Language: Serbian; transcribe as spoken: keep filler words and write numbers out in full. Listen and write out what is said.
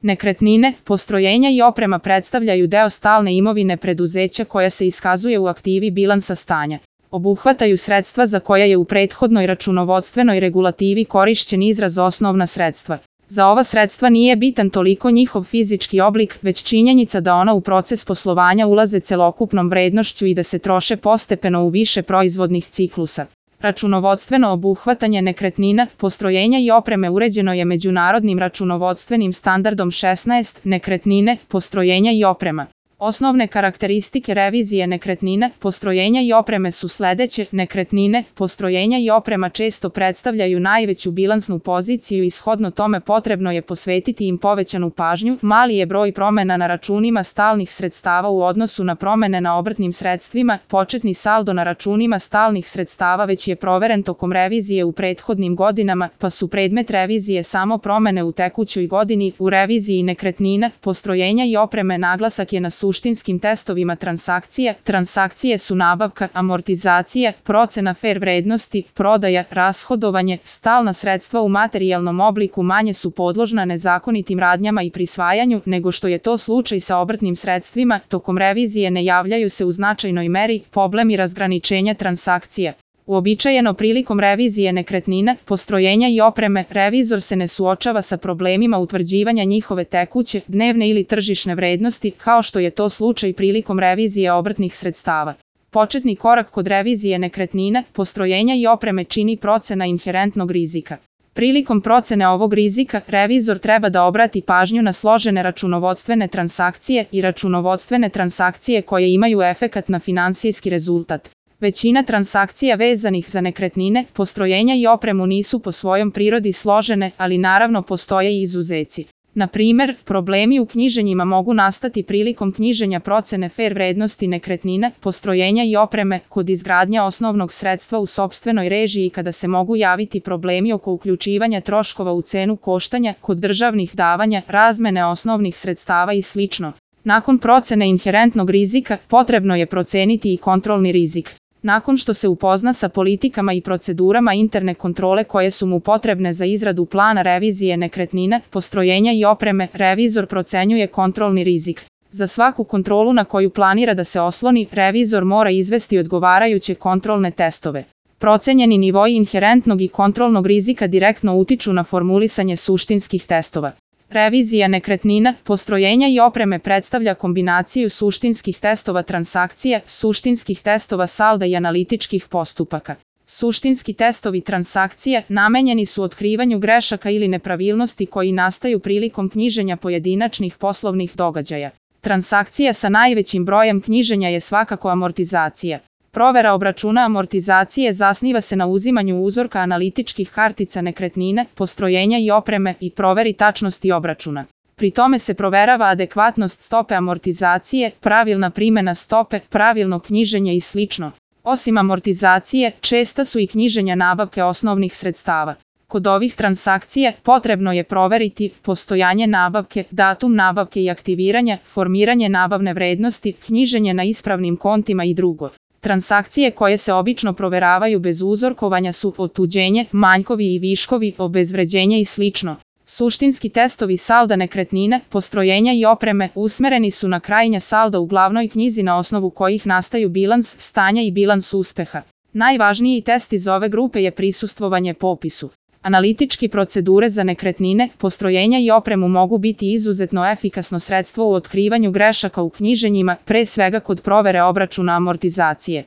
Nekretnine, postrojenja i oprema predstavljaju deo stalne imovine preduzeća koja se iskazuje u aktivi bilansa stanja. Obuhvataju sredstva za koja je u prethodnoj računovodstvenoj regulativi korišćen izraz osnovna sredstva. Za ova sredstva nije bitan toliko njihov fizički oblik, već činjenica da ona u proces poslovanja ulaze celokupnom vrednošću i da se troše postepeno u više proizvodnih ciklusa. Računovodstveno obuhvatanje nekretnina, postrojenja i opreme uređeno je međunarodnim računovodstvenim standardom šesnaest, nekretnine, postrojenja i oprema. Osnovne karakteristike revizije nekretnina, postrojenja i opreme su sledeće: nekretnine, postrojenja i oprema često predstavljaju najveću bilansnu poziciju i shodno tome potrebno je posvetiti im povećanu pažnju. Mali je broj promena na računima stalnih sredstava u odnosu na promene na obrtnim sredstvima. Početni saldo na računima stalnih sredstava već je proveren tokom revizije u prethodnim godinama, pa su predmet revizije samo promene u tekućoj godini. U reviziji nekretnina, postrojenja i opreme naglasak je na suštinskim testovima transakcije. Transakcije su nabavka, amortizacija, procena fer vrednosti, prodaja, rashodovanje. Stalna sredstva u materijalnom obliku manje su podložna nezakonitim radnjama i prisvajanju nego što je to slučaj sa obrtnim sredstvima. Tokom revizije ne javljaju se u značajnoj meri problemi razgraničenja transakcija. Uobičajeno prilikom revizije nekretnina, postrojenja i opreme, revizor se ne suočava sa problemima utvrđivanja njihove tekuće, dnevne ili tržišne vrednosti, kao što je to slučaj prilikom revizije obrtnih sredstava. Početni korak kod revizije nekretnina, postrojenja i opreme čini procena inherentnog rizika. Prilikom procene ovog rizika, revizor treba da obrati pažnju na složene računovodstvene transakcije i računovodstvene transakcije koje imaju efekat na finansijski rezultat. Većina transakcija vezanih za nekretnine, postrojenja i opremu nisu po svojom prirodi složene, ali naravno postoje i izuzeci. Na primer, problemi u knjiženjima mogu nastati prilikom knjiženja procene fer vrednosti nekretnina, postrojenja i opreme, kod izgradnja osnovnog sredstva u sopstvenoj režiji kada se mogu javiti problemi oko uključivanja troškova u cenu koštanja, kod državnih davanja, razmene osnovnih sredstava i slično. Nakon procene inherentnog rizika, potrebno je proceniti i kontrolni rizik. Nakon što se upozna sa politikama i procedurama interne kontrole koje su mu potrebne za izradu plana revizije nekretnina, postrojenja i opreme, revizor procenjuje kontrolni rizik. Za svaku kontrolu na koju planira da se osloni, revizor mora izvesti odgovarajuće kontrolne testove. Procenjeni nivoi inherentnog i kontrolnog rizika direktno utiču na formulisanje suštinskih testova. Revizija nekretnina, postrojenja i opreme predstavlja kombinaciju suštinskih testova transakcije, suštinskih testova salda i analitičkih postupaka. Suštinski testovi transakcije namenjeni su otkrivanju grešaka ili nepravilnosti koji nastaju prilikom knjiženja pojedinačnih poslovnih događaja. Transakcija sa najvećim brojem knjiženja je svakako amortizacija. Provera obračuna amortizacije zasniva se na uzimanju uzorka analitičkih kartica nekretnine, postrojenja i opreme i proveri tačnosti obračuna. Pri tome se proverava adekvatnost stope amortizacije, pravilna primena stope, pravilno knjiženje i slično. Osim amortizacije, česta su i knjiženja nabavke osnovnih sredstava. Kod ovih transakcija potrebno je proveriti postojanje nabavke, datum nabavke i aktiviranja, formiranje nabavne vrednosti, knjiženje na ispravnim kontima i drugo. Transakcije koje se obično proveravaju bez uzorkovanja su otuđenje, manjkovi i viškovi, obezvređenje i slično. Suštinski testovi salda nekretnine, postrojenja i opreme usmereni su na krajnja salda u glavnoj knjizi na osnovu kojih nastaju bilans stanja i bilans uspeha. Najvažniji test iz ove grupe je prisustvovanje popisu. Analitički procedure za nekretnine, postrojenja i opremu mogu biti izuzetno efikasno sredstvo u otkrivanju grešaka u knjiženjima, pre svega kod provere obračuna amortizacije.